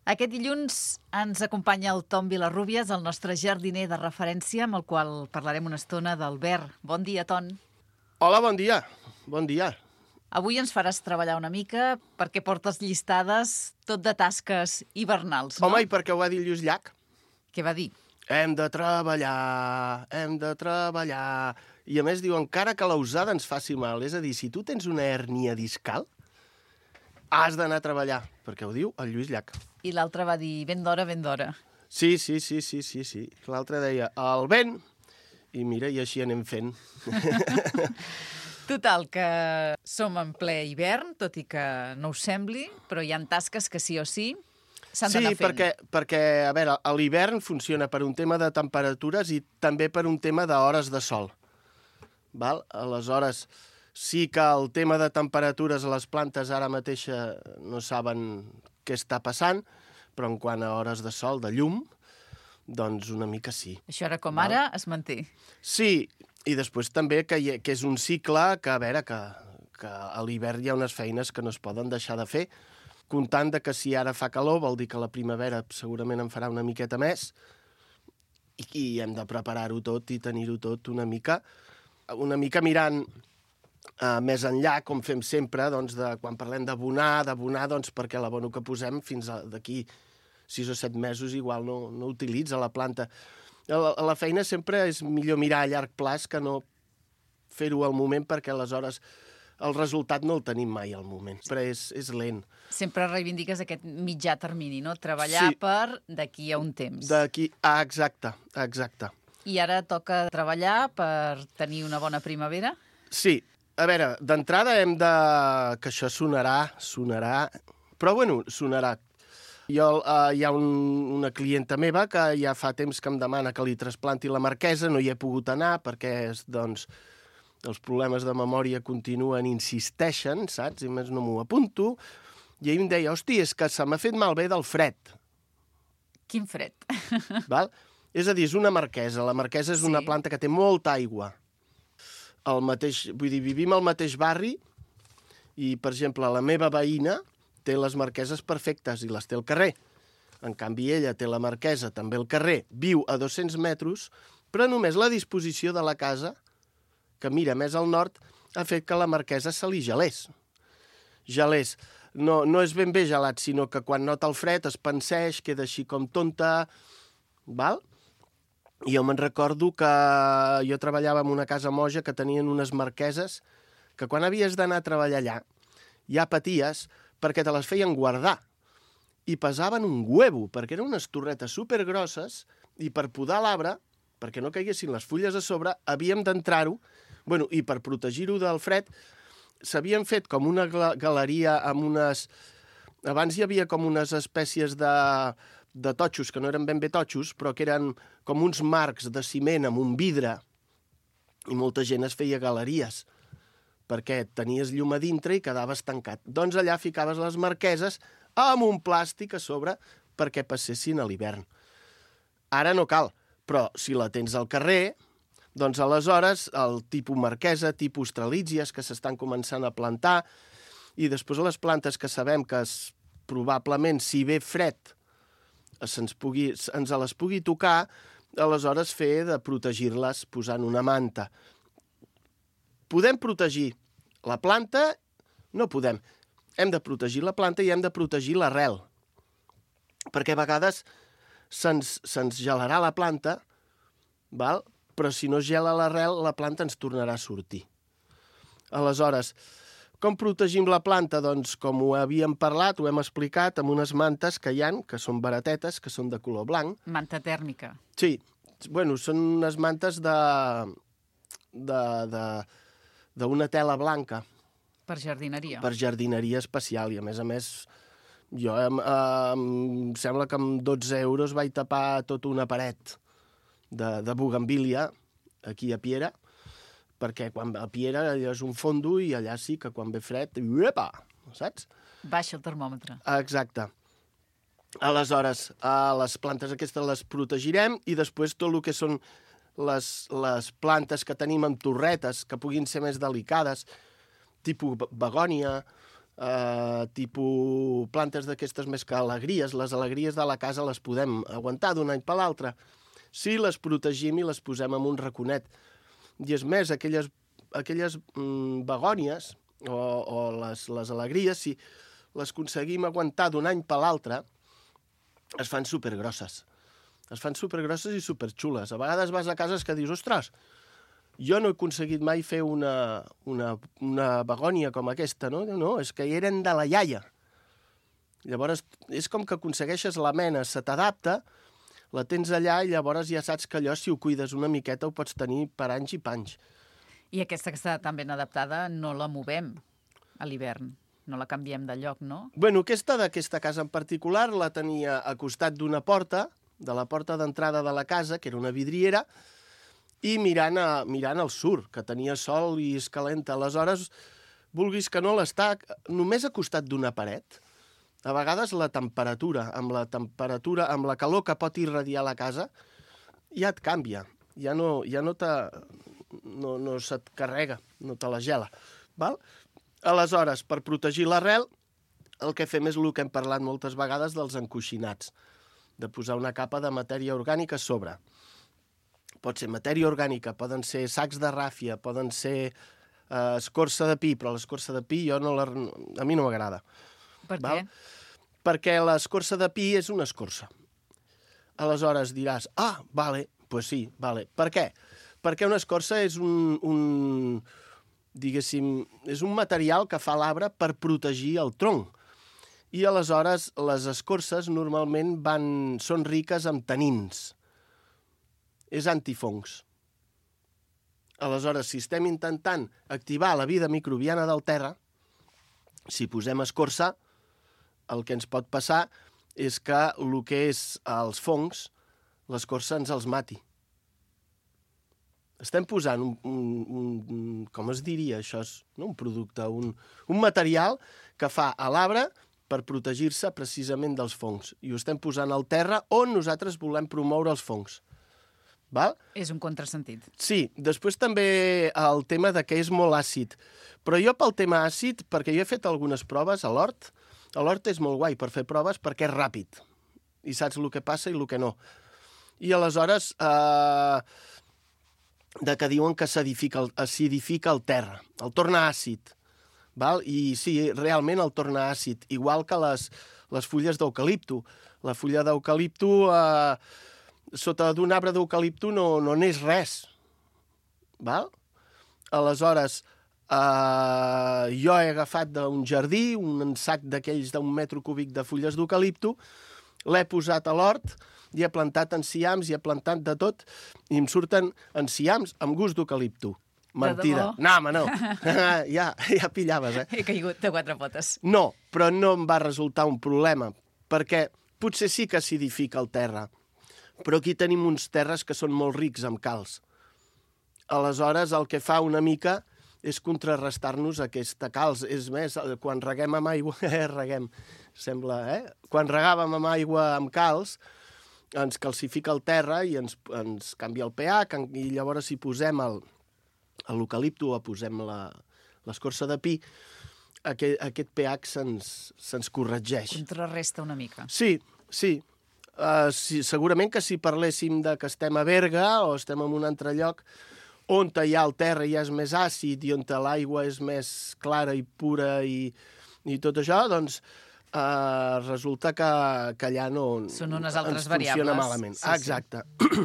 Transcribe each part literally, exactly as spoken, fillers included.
Aquest dilluns ens acompanya el Tom Vilarrubias, el nostre jardiner de referència, amb el qual parlarem una estona del verd. Bon dia, Ton. Hola, bon dia. Bon dia. Avui ens faràs treballar una mica perquè portes llistades tot de tasques hivernals, no? Home, i per què ho va dir Lluís Llach? Què va dir? Hem de treballar, hem de treballar... I a més diu, encara que la usada ens faci mal. És a dir, si tu tens una hèrnia discal, has d'anar a treballar, perquè ho diu el Lluís Llach. I l'altre va dir, ben d'hora, ben d'hora. Sí, sí, sí, sí, sí, sí. L'altre deia, el vent, i mira, i així anem fent. Total, que som en ple hivern, tot i que no us sembli, però hi ha tasques que sí o sí s'han Sí, d'anar fent. perquè, perquè, a veure, l'hivern funciona per un tema de temperatures i també per un tema d'hores de sol. Val? Aleshores, sí que el tema de temperatures a les plantes ara mateix no saben què està passant, però en quant a hores de sol, de llum, doncs una mica sí. Això ara com Val? ara es manté. Sí, i després també que, hi ha, que és un cicle que, a veure, que, que a l'hivern hi ha unes feines que no es poden deixar de fer, comptant de que si ara fa calor vol dir que la primavera segurament en farà una miqueta més i, i hem de preparar-ho tot i tenir-ho tot una mica, una mica mirant uh, més enllà, com fem sempre, doncs, de, quan parlem d'abonar, d'abonar, doncs, perquè l'abono que posem fins a, d'aquí sis o set mesos igual no, no utilitza la planta. La, la feina sempre és millor mirar a llarg plaç que no fer-ho al moment, perquè aleshores el resultat no el tenim mai al moment, però és, és lent. Sempre reivindiques aquest mitjà termini, no? Treballar Sí. per d'aquí a un temps. D'aquí, ah, exacte, exacte. I ara toca treballar per tenir una bona primavera? Sí, a veure, d'entrada hem de... que això sonarà, sonarà... Però, bueno, sonarà. Jo, uh, hi ha un, una clienta meva que ja fa temps que em demana que li trasplanti la marquesa, no hi he pogut anar perquè, doncs, els problemes de memòria continuen, insisteixen, saps? I més no m'ho apunto. I ell em deia, hosti, és que se m'ha fet malbé del fred. Quin fred. Val? És a dir, és una marquesa. La marquesa és Sí. una planta que té molta aigua. El mateix, vull dir, vivim al mateix barri i, per exemple, la meva veïna té les marqueses perfectes i les té al carrer. En canvi, ella té la marquesa també al carrer, viu a dos-cents metres, però només la disposició de la casa, que mira més al nord, ha fet que la marquesa se li gelés. Gelés. No, no és ben bé gelat, sinó que quan nota el fred es penseix, queda així com tonta, val? I jo me'n recordo que jo treballava en una casa moja que tenien unes marqueses que quan havies d'anar a treballar allà ja paties perquè te les feien guardar i pesaven un huevo, perquè eren unes torretes supergrosses i per podar l'arbre, perquè no caiguessin les fulles a sobre, havíem d'entrar-ho, bueno, i per protegir-ho del fred, s'havien fet com una galeria amb unes... Abans hi havia com unes espècies de, de totxos, que no eren ben bé totxos, però que eren com uns marcs de ciment amb un vidre, i molta gent es feia galeries, perquè tenies llum a dintre i quedaves tancat. Doncs allà ficaves les marqueses amb un plàstic a sobre perquè passessin a l'hivern. Ara no cal, però si la tens al carrer, doncs aleshores el tipus marquesa, tipus strelitzies que s'estan començant a plantar, i després les plantes que sabem que es, probablement, si ve fred, se'ns pugui, ens les pugui tocar, aleshores fer de protegir-les posant una manta. Podem protegir la planta? No podem. Hem de protegir la planta i hem de protegir l'arrel. Perquè a vegades se'ns, se'ns gelarà la planta, val? Però si no es gela l'arrel, la planta ens tornarà a sortir. Aleshores, com protegim la planta? Doncs com ho havíem parlat, ho hem explicat, amb unes mantes que hi han, que són baratetes, que són de color blanc. Manta tèrmica. Sí, bueno, són unes mantes de... de... de d'una tela blanca. Per jardineria. Per jardineria especial, i a més a més, jo em, eh, em sembla que amb dotze euros vaig tapar tota una paret de, de bugambília aquí a Piera, perquè quan a Piera allò és un fondo i allà sí que quan ve fred, uepa, saps? Baixa el termòmetre. Exacte. Aleshores, eh, les plantes aquestes les protegirem i després tot el que són les, les plantes que tenim amb torretes, que puguin ser més delicades, tipus begònia, Uh, tipus plantes d'aquestes més que alegries. Les alegries de la casa les podem aguantar d'un any per l'altre si les protegim i les posem en un raconet. I és més, aquelles, aquelles mm, begònies o, o les, les alegries, si les aconseguim aguantar d'un any per l'altre, es fan supergrosses. Es fan supergrosses i superxules. A vegades vas a cases que dius, ostres, jo no he aconseguit mai fer una, una, una begònia com aquesta, no? No, és que eren de la iaia. Llavors, és com que aconsegueixes la mena, se t'adapta, la tens allà i llavors ja saps que allò, si ho cuides una miqueta, ho pots tenir per anys i panys. I aquesta que està tan ben adaptada no la movem a l'hivern, no la canviem de lloc, no? Bueno, aquesta d'aquesta casa en particular la tenia a costat d'una porta, de la porta d'entrada de la casa, que era una vidriera, i mirant, a, mirant al sur, que tenia sol i és calenta. Aleshores, vulguis que no, l'està només a costat d'una paret. A vegades la temperatura, amb la temperatura, amb la calor que pot irradiar la casa, ja et canvia. Ja no, ja no, te, no, no se't carrega, no te la gela. Val? Aleshores, per protegir l'arrel, el que fem és el que hem parlat moltes vegades dels encoixinats, de posar una capa de matèria orgànica a sobre. Pot ser matèria orgànica, poden ser sacs de ràfia, poden ser eh, escorça de pi, però l'escorça de pi jo no la, a mi no m'agrada. Per Val? què? Perquè l'escorça de pi és una escorça. Aleshores diràs, ah, vale, pues sí, vale. Per què? Perquè una escorça és un, un, diguéssim, és un material que fa l'arbre per protegir el tronc. I aleshores les escorces normalment van, són riques amb tanins. És antifongs. Aleshores, si estem intentant activar la vida microbiana del terra, si posem escorça, el que ens pot passar és que el que és els fongs, l'escorça ens els mati. Estem posant un, un, un com es diria això, és, no? un producte, un, un material que fa a l'arbre per protegir-se precisament dels fongs. I ho estem posant al terra on nosaltres volem promoure els fongs. Val? És un contrasentit. Sí, després també el tema de que és molt àcid. Però jo pel tema àcid, perquè jo he fet algunes proves a l'hort, a l'hort és molt guai per fer proves perquè és ràpid i saps el que passa i el que no. I aleshores, eh, de que diuen que s'acidifica el, acidifica el terra, el torna àcid. Val? I sí, realment el torna àcid, igual que les, les fulles d'eucalipto. La fulla d'eucalipto... Eh, sota d'un arbre d'eucalipto no, no n'és res. Val? Aleshores, eh, jo he agafat d'un jardí un sac d'aquells d'un metre cúbic de fulles d'eucalipto, l'he posat a l'hort i he plantat enciams i he plantat de tot i em surten enciams amb gust d'eucalipto. Mentida. No, home, no. ja, ja pillaves, eh? He caigut de quatre potes. No, però no em va resultar un problema, perquè potser sí que acidifica el terra, però aquí tenim uns terres que són molt rics amb calç. Aleshores, el que fa una mica és contrarrestar-nos aquesta calç. És més, quan reguem amb aigua... Eh, reguem, sembla, eh? Quan regàvem amb aigua amb calç, ens calcifica el terra i ens, ens canvia el pH, i llavors si posem el, l'eucalipto o posem la, l'escorça de pi, aquest, aquest pH se'ns, se'ns corregeix. Contrarresta una mica. Sí, sí. Uh, sí, segurament que si parléssim de que estem a Berga o estem en un altre lloc on hi ha el terra i és més àcid i on l'aigua és més clara i pura i, i tot això, doncs uh, resulta que, que allà no són unes altres ens funciona variables. malament. Sí, ah, exacte. Sí.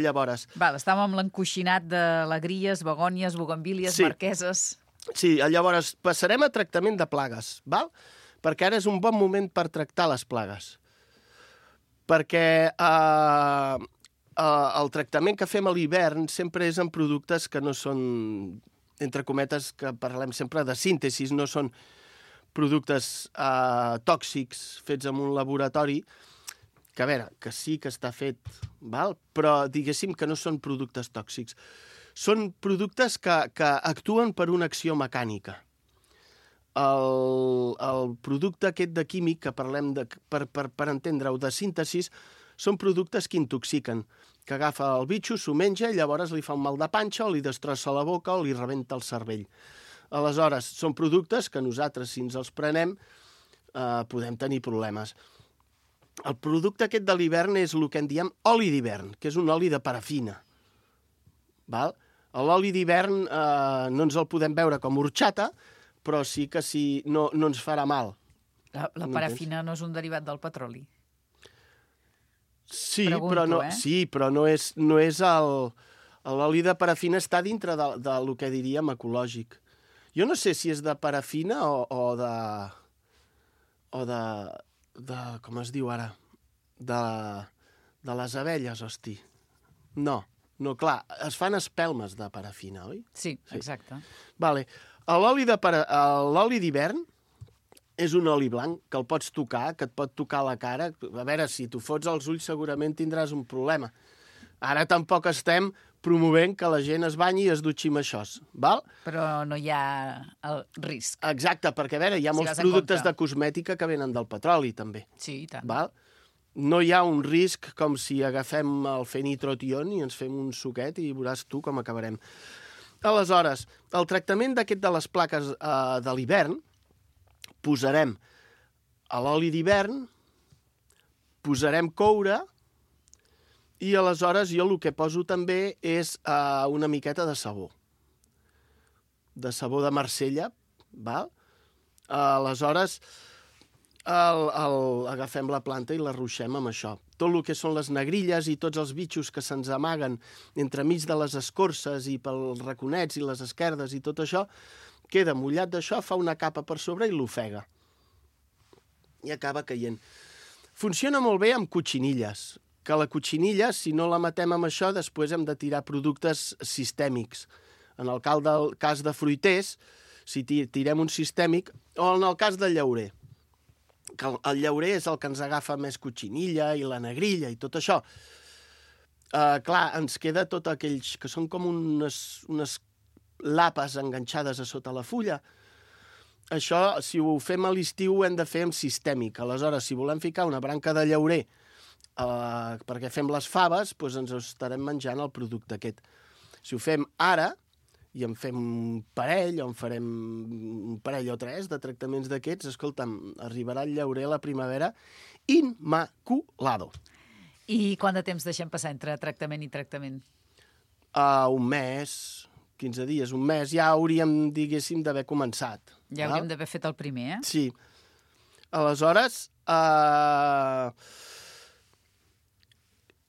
Llavors... Val, estàvem amb l'encoixinat d'alegries, begònies, bugambílies, sí. marqueses... Sí, llavors passarem a tractament de plagues, val? Perquè ara és un bon moment per tractar les plagues. Perquè eh, eh, el tractament que fem a l'hivern sempre és en productes que no són, entre cometes, que parlem sempre de síntesis, no són productes eh, tòxics fets en un laboratori, que a veure, que sí que està fet, val? Però diguéssim que no són productes tòxics. Són productes que, que actuen per una acció mecànica. El, el producte aquest de químic, que parlem de, per, per, per entendre-ho, de síntesis, són productes que intoxiquen, que agafa el bitxo, s'ho menja i llavors li fa un mal de panxa o li destrossa la boca o li rebenta el cervell. Aleshores, són productes que nosaltres, si ens els prenem, eh, podem tenir problemes. El producte aquest de l'hivern és el que en diem oli d'hivern, que és un oli de parafina. Val? L'oli d'hivern eh, no ens el podem veure com horchata, però sí que sí, no, no ens farà mal. La, la parafina no és un derivat del petroli? Sí, Pregunto, però no, eh? sí, però no és, no és el... L'oli de parafina està dintre de, del que diríem ecològic. Jo no sé si és de parafina o, o de... o de, de... com es diu ara? De, de les abelles, hosti. No, no, clar, es fan espelmes de parafina, oi? Sí, exacte. Vale. L'oli de para... l'oli d'hivern és un oli blanc que el pots tocar, que et pot tocar la cara. A veure, si tu fots els ulls segurament tindràs un problema. Ara tampoc estem promovent que la gent es banyi i es dutxi amb això, val? Però no hi ha el risc. Exacte, perquè a veure, hi ha Si molts vas en productes compte. de cosmètica que venen del petroli, també. Sí, i tant. Val? No hi ha un risc com si agafem el fenitrotion i ens fem un suquet i veuràs tu com acabarem. Aleshores, el tractament d'aquest de les plaques eh, de l'hivern, posarem a l'oli d'hivern, posarem coure, i aleshores jo el que poso també és uh, una miqueta de sabó. De sabó de Marsella, val? Uh, aleshores el, el, agafem la planta i la ruixem amb això. Tot el que són les negrilles i tots els bitxos que se'ns amaguen entremig de les escorces i pels raconets i les esquerdes i tot això, queda mullat d'això, fa una capa per sobre i l'ofega. I acaba caient. Funciona molt bé amb cotxinilles, que la cotxinilla, si no la matem amb això, després hem de tirar productes sistèmics. En el cas de fruiters, si tirem un sistèmic, o en el cas del llaurer, que el llaurer és el que ens agafa més cotxinilla i la negrilla i tot això. Uh, clar, ens queda tot aquells que són com unes, unes lapes enganxades a sota la fulla. Això, si ho fem a l'estiu, ho hem de fer amb sistèmic. Aleshores, si volem ficar una branca de llaurer Uh, perquè fem les faves, doncs ens estarem menjant el producte aquest. Si ho fem ara, i en fem un parell, o en farem un parell o tres de tractaments d'aquests, escolta'm, arribarà el llaurer a la primavera immaculado. I quant de temps deixem passar entre tractament i tractament? Uh, un mes, quinze dies, un mes, ja hauríem, diguéssim, d'haver començat. Ja hauríem d'haver fet el primer, eh? Sí. Aleshores, uh,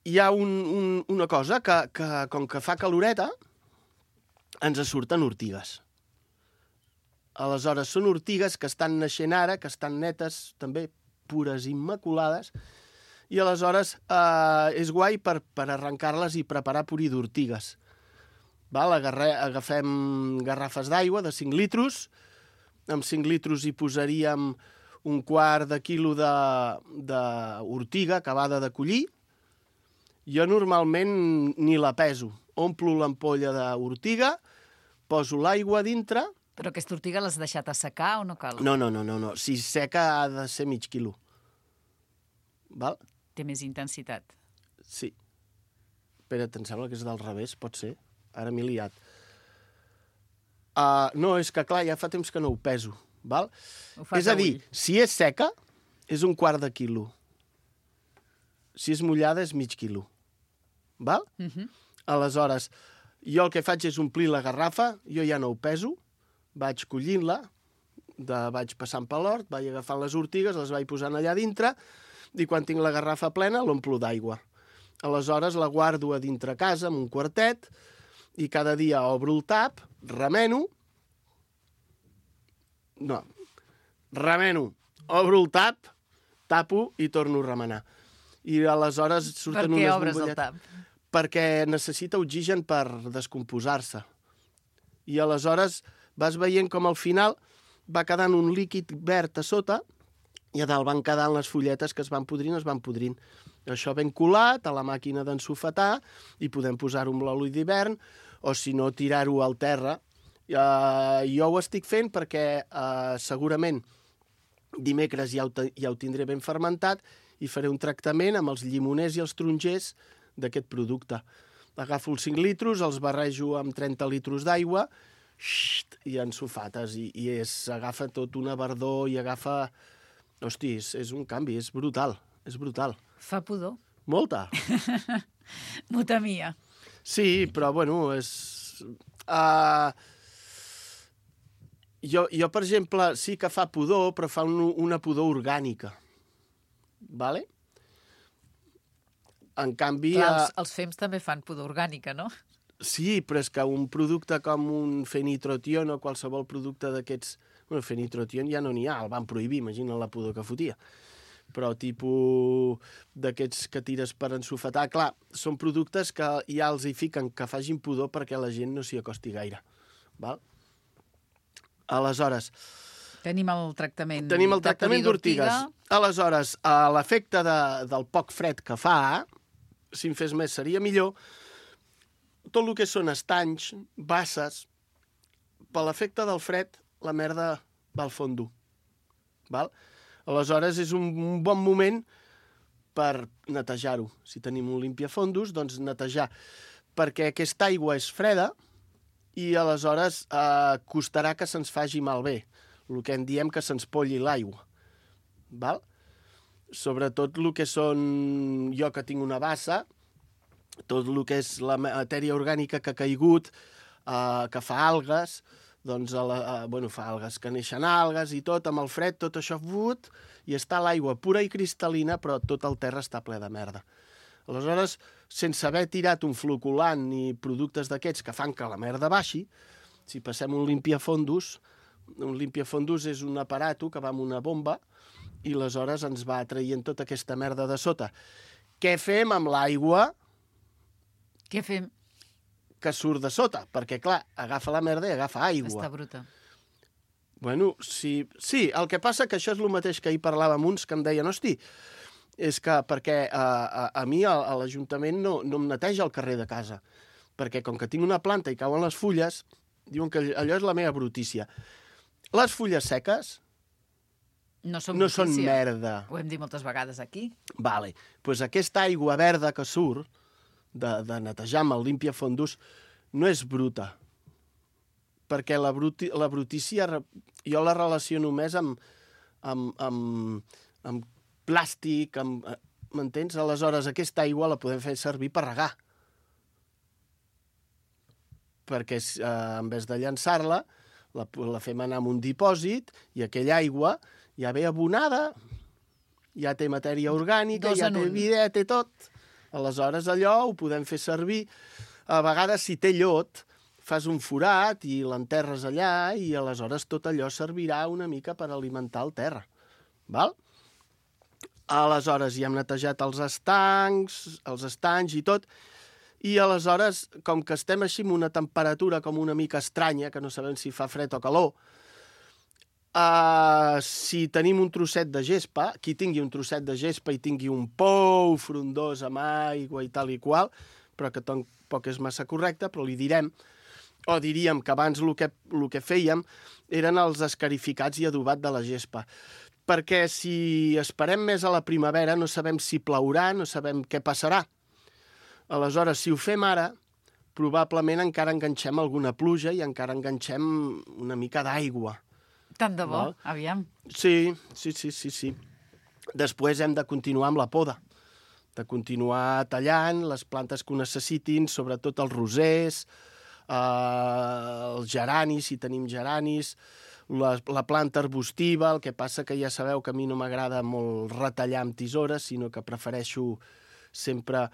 hi ha un, un, una cosa que, que, com que fa caloreta, ens surten ortigues. Aleshores, són ortigues que estan naixent ara, que estan netes, també pures, immaculades, i aleshores eh, és guai per, per arrencar-les i preparar puré d'ortigues. Val? Agarre, agafem garrafes d'aigua de cinc litros, amb cinc litros hi posaríem un quart de quilo d'ortiga acabada de collir. Jo normalment ni la peso. Omplo l'ampolla d'ortiga, poso l'aigua dintre... Però aquesta ortiga l'has deixat assecar o no cal? No, no, no, no, no. Si seca ha de ser mig quilo. Val? Té més intensitat. Sí. Espera't, em sembla que és del revés, pot ser. Ara m'he liat. Uh, no, és que clar, ja fa temps que no ho peso. Val? Ho fas és a dir, ull. si és seca, és un quart de quilo. Si és mullada, és mig quilo. Val? Uh -huh. Aleshores, jo el que faig és omplir la garrafa, jo ja no ho peso, vaig collint-la, vaig passant per l'hort, vaig agafant les ortigues, les vaig posant allà dintre, i quan tinc la garrafa plena l'omplo d'aigua. Aleshores la guardo a dintre casa, amb un quartet, i cada dia obro el tap, remeno, no, remeno, obro el tap, tapo i torno a remenar. I aleshores surten unes bombolletes. Per què obres el tap? Perquè necessita oxigen per descomposar-se. I aleshores vas veient com al final va quedant un líquid verd a sota i a dalt van quedant les fulletes que es van podrint, es van podrint. Això ben colat a la màquina d'ensofetar i podem posar-ho amb l'oli d'hivern o, si no, tirar-ho al terra. Uh, jo ho estic fent perquè uh, segurament dimecres ja ho, ja ho tindré ben fermentat i faré un tractament amb els llimoners i els tarongers d'aquest producte. Agafo els cinc litros, els barrejo amb trenta litros d'aigua Xt, i ensofates, i, i és, agafa tot una verdor i agafa... Hosti, és, és un canvi, és brutal, és brutal. Fa pudor. Molta. M'ho temia. Sí, però, bueno, és... Uh, jo, jo, per exemple, sí que fa pudor, però fa un, una pudor orgànica. Vale? En canvi... Clar, els, uh, els fems també fan pudor orgànica, no? Sí, però és que un producte com un fenitrotion o qualsevol producte d'aquests... Bueno, fenitrotion ja no n'hi ha, el van prohibir, imagina la pudor que fotia. Però tipus d'aquests que tires per ensofetar... Clar, són productes que ja els hi fiquen que facin pudor perquè la gent no s'hi acosti gaire. Val? Aleshores... Tenim el tractament Tenim el tractament d'ortigues. Aleshores, a l'efecte de, del poc fred que fa, si en fes més seria millor, tot el que són estanys, basses, per l'efecte del fred, la merda va al fondo. Val? Aleshores, és un, un bon moment per netejar-ho. Si tenim un limpiafondos, doncs netejar. Perquè aquesta aigua és freda i aleshores eh, costarà que se'ns faci malbé. El que en diem que se'ns polli l'aigua. Val? Sobretot el que són... Jo que tinc una bassa, tot el que és la matèria orgànica que ha caigut, eh, que fa algues, doncs, a la, eh, bueno, fa algues, que neixen algues i tot, amb el fred, tot això but, i està l'aigua pura i cristal·lina, però tot el terra està ple de merda. Aleshores, sense haver tirat un floculant ni productes d'aquests que fan que la merda baixi, si passem un limpiafondos, un limpiafondos és un aparato que va amb una bomba i aleshores ens va traient tota aquesta merda de sota. Què fem amb l'aigua? Què fem? Que surt de sota, perquè, clar, agafa la merda i agafa aigua. Està bruta. Bueno, sí, sí, el que passa que això és el mateix que ahir parlàvem uns que em deien, hosti, és que perquè a, a, a mi a, a l'Ajuntament no, no em neteja el carrer de casa, perquè com que tinc una planta i cauen les fulles, diuen que allò és la meva brutícia. Les fulles seques no són, no són merda. Ho hem dit moltes vegades aquí. Vale. Pues aquesta aigua verda que surt de, de netejar amb el limpiafondos no és bruta. Perquè la, bruti, la brutícia jo la relaciono més amb, amb, amb, amb plàstic, amb, m'entens? Aleshores, aquesta aigua la podem fer servir per regar. Perquè eh, en vez de llançar-la, la, la fem anar en un dipòsit i aquella aigua ja ve abonada, ja té matèria orgànica, Dos ja en té un. vida, té tot. Aleshores, allò ho podem fer servir. A vegades, si té llot, fas un forat i l'enterres allà i aleshores tot allò servirà una mica per alimentar el terra. Val? Aleshores, ja hem netejat els estancs, els estanys i tot, i aleshores, com que estem així amb una temperatura com una mica estranya, que no sabem si fa fred o calor, uh, si tenim un trosset de gespa, qui tingui un trosset de gespa i tingui un pou frondós amb aigua i tal i qual, però que tampoc és massa correcte, però li direm, o diríem que abans el que, el que fèiem eren els escarificats i adobat de la gespa. Perquè si esperem més a la primavera no sabem si plourà, no sabem què passarà. Aleshores, si ho fem ara, probablement encara enganxem alguna pluja i encara enganxem una mica d'aigua. Tant de bo, Val? aviam. Sí, sí, sí, sí, sí. Després hem de continuar amb la poda, de continuar tallant les plantes que ho necessitin, sobretot els rosers, eh, els geranis, si tenim geranis, la, la planta arbustiva, el que passa que ja sabeu que a mi no m'agrada molt retallar amb tisores, sinó que prefereixo sempre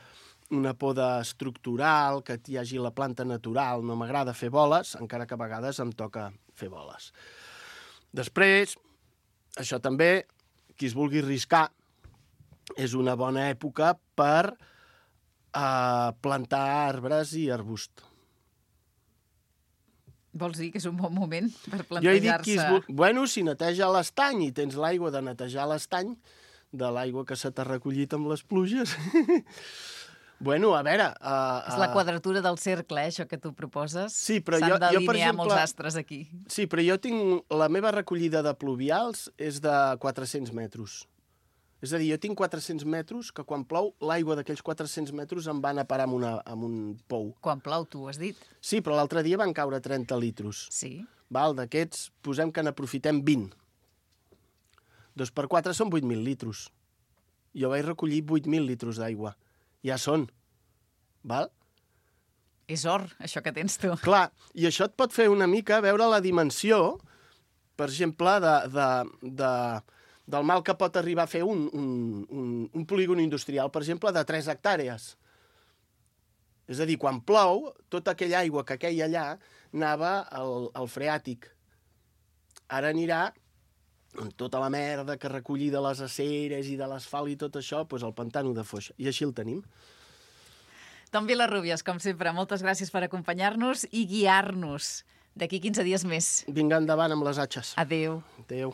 una poda estructural, que hi hagi la planta natural. No m'agrada fer boles, encara que a vegades em toca fer boles. Després, això també, qui es vulgui arriscar, és una bona època per eh, plantar arbres i arbust. Vols dir que és un bon moment per Jo he dit plantejar-se... qui es vol... Bueno, si neteja l'estany i tens l'aigua de netejar l'estany, de l'aigua que se t'ha recollit amb les pluges... Bueno, a veure... Uh, És la quadratura del cercle, eh, això que tu proposes. Sí, però S'han jo, jo, per d'alinear exemple... molts astres aquí. Sí, però jo tinc... La meva recollida de pluvials és de quatre-cents metres. És a dir, jo tinc quatre-cents metres que quan plou, l'aigua d'aquells quatre-cents metres em van a parar en, una, en un pou. Quan plou, tu ho has dit. Sí, però l'altre dia van caure trenta litros. Sí. Val, d'aquests, posem que n'aprofitem vint. Dos per quatre són vuit mil litros. Jo vaig recollir vuit mil litros d'aigua. Ja són. Val? És or, això que tens tu. Clar, i això et pot fer una mica veure la dimensió, per exemple, de, de, de, del mal que pot arribar a fer un, un, un, un polígon industrial, per exemple, de tres hectàrees. És a dir, quan plou, tota aquella aigua que queia allà anava al, al freàtic. Ara anirà amb tota la merda que recollir de les aceres i de l'asfalt i tot això, doncs al pantano de Foix. I així el tenim. Tom Vilarrubias, com sempre, moltes gràcies per acompanyar-nos i guiar-nos d'aquí quinze dies més. Vinga endavant amb les atxes. Adéu. Adéu.